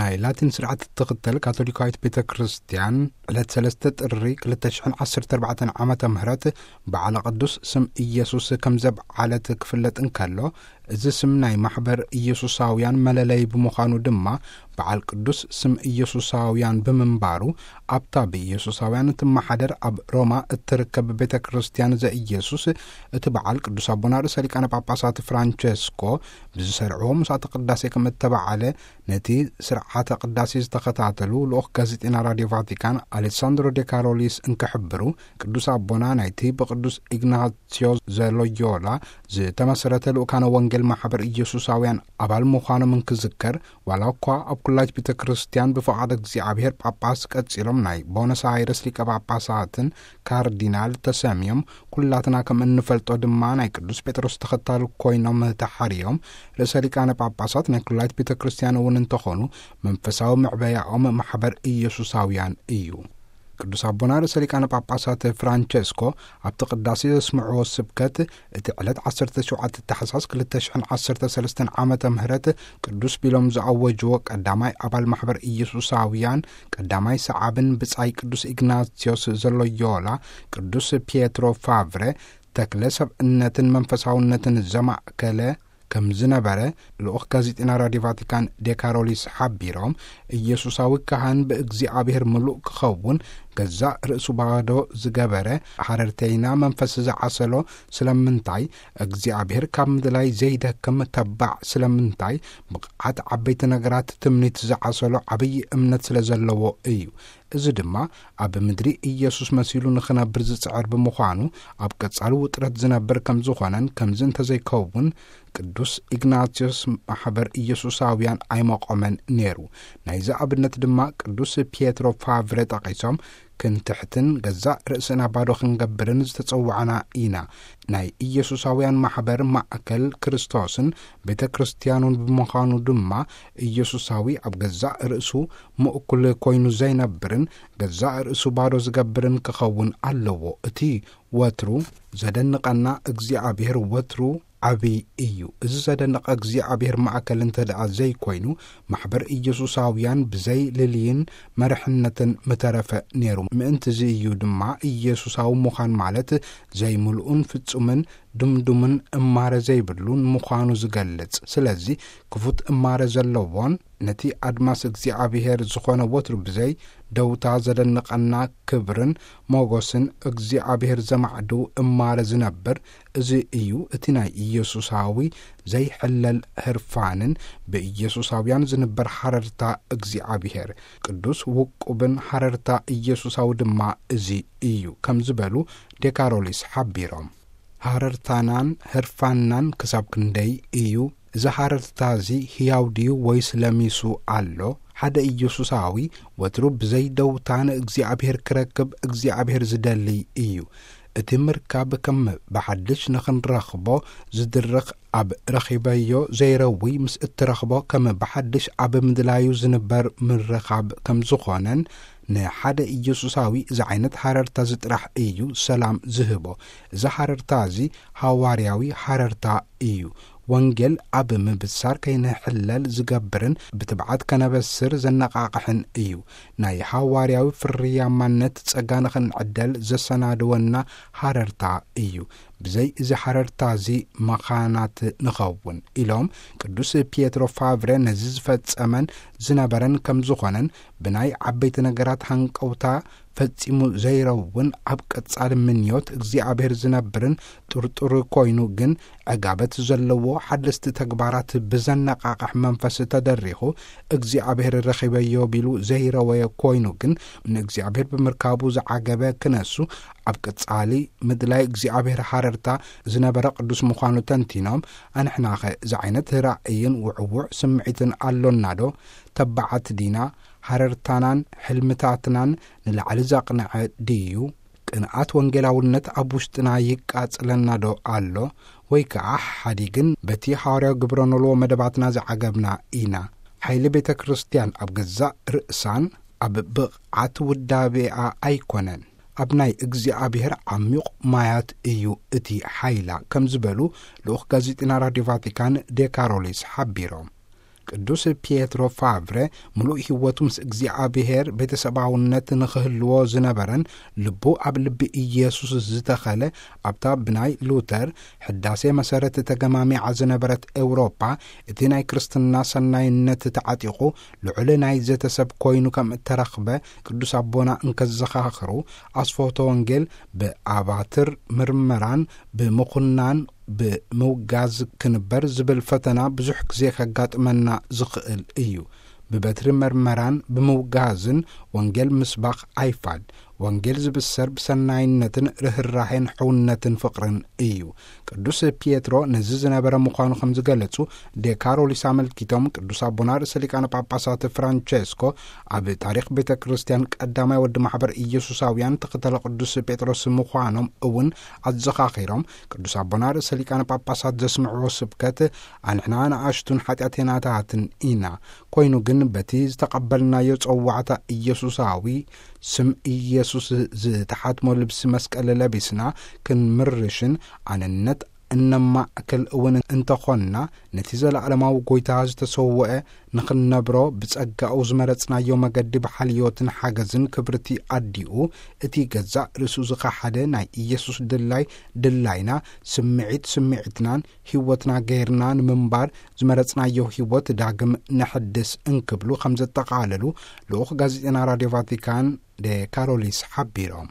ናይ ላቲን ስርዓት እትኽተል ካቶሊካዊት ቤተ ክርስቲያን ዕለት ሰለስተ ጥሪ ክልተ ሽሕን ዓሰርተ ኣርባዕተን ዓመተ ምህረት በዓለ ቅዱስ ስም ኢየሱስ ከም ዘብዓለት ክፍለጥ እንከሎ፣ እዚ ስም ናይ ማሕበር ኢየሱሳውያን መለለይ ብምዃኑ ድማ በዓል ቅዱስ ስም ኢየሱሳውያን ብምንባሩ፣ ኣብታ ብኢየሱሳውያን እትመሓደር ኣብ ሮማ እትርከብ ቤተ ክርስቲያን ዘኢየሱስ እቲ በዓል ቅዱስ ኣቦና ርእሰ ሊቃነ ጳጳሳት ፍራንቸስኮ ብዝሰርዕዎ ምሳተ ቅዳሴ ከም እተበዓለ ነቲ ስርዓተ ቅዳሴ ዝተኸታተሉ ልኡኽ ጋዜጠኛ ራድዮ ቫቲካን ኣሌሳንድሮ ዴ ካሮሊስ እንክሕብሩ፣ ቅዱስ ኣቦና ናይቲ ብቅዱስ ኢግናስዮ ዘሎዮላ ዝተመሰረተ ልኡካነ ወንጌል ማሕበር ኢየሱሳውያን ኣባል ምዃኖም እንክዝከር፣ ዋላ እኳ ኣብ ኩላይት ቤተ ክርስቲያን ብፍቓድ እግዚኣብሔር ጳጳስ ቀጺሎም ናይ ቦነስ ኣይረስ ሊቀ ጳጳሳትን ካርዲናል ተሰምዮም፣ ኩላትና ከም እንፈልጦ ድማ ናይ ቅዱስ ጴጥሮስ ተኸታል ኮይኖም ተሓርዮም፣ ርእሰ ሊቃነ ጳጳሳት ናይ ኩላይት ቤተ ክርስቲያን እውን እንተኾኑ፣ መንፈሳዊ መዕበያኦም ማሕበር ኢየሱሳውያን እዩ። ቅዱስ ኣቦና ርእሰ ሊቃነ ጳጳሳት ፍራንቸስኮ ኣብቲ ቅዳሴ ዘስምዕዎ ስብከት፣ እቲ ዕለት ዓሰርተ ሸውዓተ ታሕሳስ ክልተ ሽሕን ዓሰርተ ሰለስተን ዓመተ ምህረት ቅዱስ ቢሎም ዝኣወጅዎ ቀዳማይ ኣባል ማሕበር ኢየሱሳውያን ቀዳማይ ሰዓብን ብጻይ ቅዱስ ኢግናስዮስ ዘሎዮላ፣ ቅዱስ ፒየትሮ ፋቭረ፣ ተክለ ሰብእነትን መንፈሳውነትን ዘማእከለ ከም ዝነበረ ልኡኽ ጋዜጠኛ ራድዮ ቫቲካን ዴካሮሊስ ሓቢሮም፣ ኢየሱሳዊ ካህን ብእግዚኣብሔር ምሉእ ክኸውን ገዛእ ርእሱ ባዶ ዝገበረ፣ ሓረርተይና መንፈስ ዝዓሰሎ ስለምንታይ? እግዚኣብሔር ካብ ምድላይ ዘይደክም ተባዕ ስለምንታይ? ብቕዓት ዓበይቲ ነገራት ትምኒት ዝዓሰሎ ዓብዪ እምነት ስለ ዘለዎ እዩ። እዚ ድማ ኣብ ምድሪ ኢየሱስ መሲሉ ንኽነብር ዝጽዕር ብምዃኑ፣ ኣብ ቀጻሊ ውጥረት ዝነብር ከም ዝኾነን፣ ከምዚ እንተዘይከውን ቅዱስ ኢግናስዮስ ማሕበር ኢየሱሳውያን ኣይመቖመን ነይሩ። ናይዚ ኣብነት ድማ ቅዱስ ፒየትሮ ፋቭረ ጠቒሶም፣ ክንትሕትን ገዛእ ርእስና ባዶ ክንገብርን ዝተጸዋዕና ኢና። ናይ ኢየሱሳውያን ማሕበር ማእከል ክርስቶስን ቤተ ክርስቲያኑን ብምዃኑ ድማ፣ ኢየሱሳዊ ኣብ ገዛእ ርእሱ ምእኩል ኮይኑ ዘይነብርን ገዛእ ርእሱ ባዶ ዝገብርን ክኸውን ኣለዎ። እቲ ወትሩ ዘደንቐና እግዚኣብሔር ወትሩ ዓቢ እዩ። እዚ ዘደንቕ እግዚኣብሔር ማእከል እንተ ደኣ ዘይኮይኑ፣ ማሕበር ኢየሱሳውያን ብዘይ ልልይን መርሕነትን ምተረፈ ነይሩ። ምእንቲ እዚ እዩ ድማ ኢየሱሳዊ ምዃን ማለት ዘይምሉእን ፍጹምን ድምዱምን እማረ ዘይብሉን ምዃኑ ዝገልጽ። ስለዚ ክፉት እማረ ዘለዎን ነቲ ኣድማስ እግዚኣብሔር ዝኾነ ወትሩ ብዘይ ደውታ ዘደንቐና ክብርን ሞገስን እግዚኣብሔር ዘማዕዱ እማረ ዝነብር፣ እዚ እዩ እቲ ናይ ኢየሱሳዊ ዘይሕለል ህርፋንን ብኢየሱሳውያን ዝንበር ሓረርታ እግዚኣብሔር። ቅዱስ ውቁብን ሓረርታ ኢየሱሳዊ ድማ እዚ እዩ ከም ዝበሉ ዴካሮሊስ ሓቢሮም። ሃረርታናን ህርፋንናን ክሳብ ክንደይ እዩ? እዚ ሃረርታ እዚ ህያው ድዩ ወይስ ለሚሱ ኣሎ? ሓደ ኢየሱሳዊ ወትሩ ብዘይ ደውታ ንእግዚኣብሔር ክረክብ እግዚኣብሔር ዝደሊ እዩ። እቲ ምርካብ ከም ብሓድሽ ንኽንረኽቦ ዝድርኽ፣ ኣብ ረኺበዮ ዘይረዊ ምስ እትረኽቦ ከም ብሓድሽ ኣብ ምድላዩ ዝንበር ምርኻብ ከም ዝኾነን፣ ንሓደ ኢየሱሳዊ እዚ ዓይነት ሃረርታ እዚ ጥራሕ እዩ ሰላም ዝህቦ። እዚ ሃረርታ እዚ ሃዋርያዊ ሃረርታ እዩ። ወንጌል ኣብ ምብሳር ከይንሕለል ዝገብርን ብትብዓት ከነበስር ዘነቓቕሕን እዩ። ናይ ሃዋርያዊ ፍርያማነት ጸጋ ንኽንዕደል ዘሰናድወና ሃረርታ እዩ። ብዘይ እዚ ሓረርታ እዚ መኻናት ንኸውን ኢሎም ቅዱስ ፒየትሮ ፋቭረ ነዚ ዝፈጸመን ዝነበረን ከም ዝኾነን ብናይ ዓበይቲ ነገራት ሃንቀውታ ፈጺሙ ዘይረውን ኣብ ቀጻሊ ምንዮት እግዚኣብሔር ዝነብርን ጥርጡር ኮይኑ ግን ዕጋበት ዘለዎ ሓደስቲ ተግባራት ብዘነቓቕሕ መንፈስ ተደሪኹ እግዚኣብሔር ረኺበዮ ቢሉ ዘይረወየ ኮይኑ ግን ንእግዚኣብሔር ብምርካቡ ዝዓገበ ክነሱ ኣብ ቀጻሊ ምድላይ እግዚኣብሔር ሃረርታ ዝነበረ ቅዱስ ምዃኑ ተንቲኖም፣ ኣንሕናኸ እዚ ዓይነት ራእይን ውዕዉዕ ስምዒትን ኣሎናዶ? ተባዓት ዲና? ሃረርታናን ሕልምታትናን ንላዕሊ ዘቕንዐ ድዩ? ቅንኣት ወንጌላውነት ኣብ ውሽጥና ይቃጽለናዶ ኣሎ? ወይ ከኣ ሓዲግን በቲ ሃዋርያዊ ግብረ ኖልዎ መደባትና ዝዓገብና ኢና? ሓይሊ ቤተ ክርስቲያን ኣብ ገዛእ ርእሳን ኣብ ብቕዓት ውዳቤኣ ኣይኮነን። ኣብ ናይ እግዚኣብሔር ዓሚቕ ማያት እዩ እቲ ሓይላ፣ ከም ዝበሉ ልኡኽ ጋዜጠኛ ራድዮ ቫቲካን ዴካሮሊስ ሓቢሮም። ቅዱስ ፒየትሮ ፋቭረ፣ ምሉእ ህይወቱ ምስ እግዚኣብሔር ቤተሰባውነት ንኽህልዎ ዝነበረን፣ ልቡ ኣብ ልቢ ኢየሱስ ዝተኸለ፣ ኣብታ ብናይ ሉተር ሕዳሴ መሰረት ተገማሚዓ ዝነበረት ኤውሮጳ፣ እቲ ናይ ክርስትና ሰናይነት ተዓጢቑ፣ ልዑል ናይ ዘተሰብ ኮይኑ ከም እተረኽበ ቅዱስ ኣቦና እንከዘኻኽሩ፣ ኣስፎቶ ወንጌል ብኣባትር ምርመራን ብምኹናን ብምውጋዝ ክንበር ዝብል ፈተና ብዙሕ ግዜ ከጋጥመና ዝኽእል እዩ። ብበትሪ መርመራን ብምውጋዝን ወንጌል ምስባኽ ኣይፋል። ወንጌል ዝብሰር ብሰናይነትን ርህራሄን ሕውነትን ፍቕርን እዩ። ቅዱስ ፒየትሮ ነዚ ዝነበረ ምዃኑ ከም ዝገለጹ ዴካሮሊስ ኣመልኪቶም፣ ቅዱስ ኣቦና ርእሰ ሊቃነ ጳጳሳት ፍራንቸስኮ ኣብ ታሪኽ ቤተ ክርስቲያን ቀዳማይ ወዲ ማሕበር ኢየሱሳውያን ተኸተለ ቅዱስ ጴጥሮስ ምዃኖም እውን ኣዘኻኺሮም፣ ቅዱስ ኣቦና ርእሰ ሊቃነ ጳጳሳት ዘስምዕዎ ስብከት ኣንሕና ንኣሽቱን ሓጢኣተኛታትን ኢና። ኮይኑ ግን በቲ ዝተቐበልናዮ ጸዋዕታ ኢየሱሳዊ ስም ኢየሱስ ዝተሓትሞ ልብሲ መስቀል ለቢስና ክንምርሽን ኣንነት እነማእክል እውን እንተኾንና፣ ነቲ ዘለዓለማዊ ጎይታ ዝተሰውአ ንኽንነብሮ ብጸጋኡ ዝመረጽናዮ መገዲ ብሓልዮትን ሓገዝን ክብርቲ ኣዲኡ፣ እቲ ገዛእ ርእሱ ዝኸሓደ ናይ ኢየሱስ ድላይ ድላይና፣ ስምዒት ስምዒትናን ህይወትና ገይርና ንምንባር ዝመረጽናዮ ህይወት ዳግም ነሐድስ እንክብሉ ከም ዘጠቓለሉ ልኡኽ ጋዜጠና ራድዮ ቫቲካን ደ ካሮሊስ ሓቢሮም።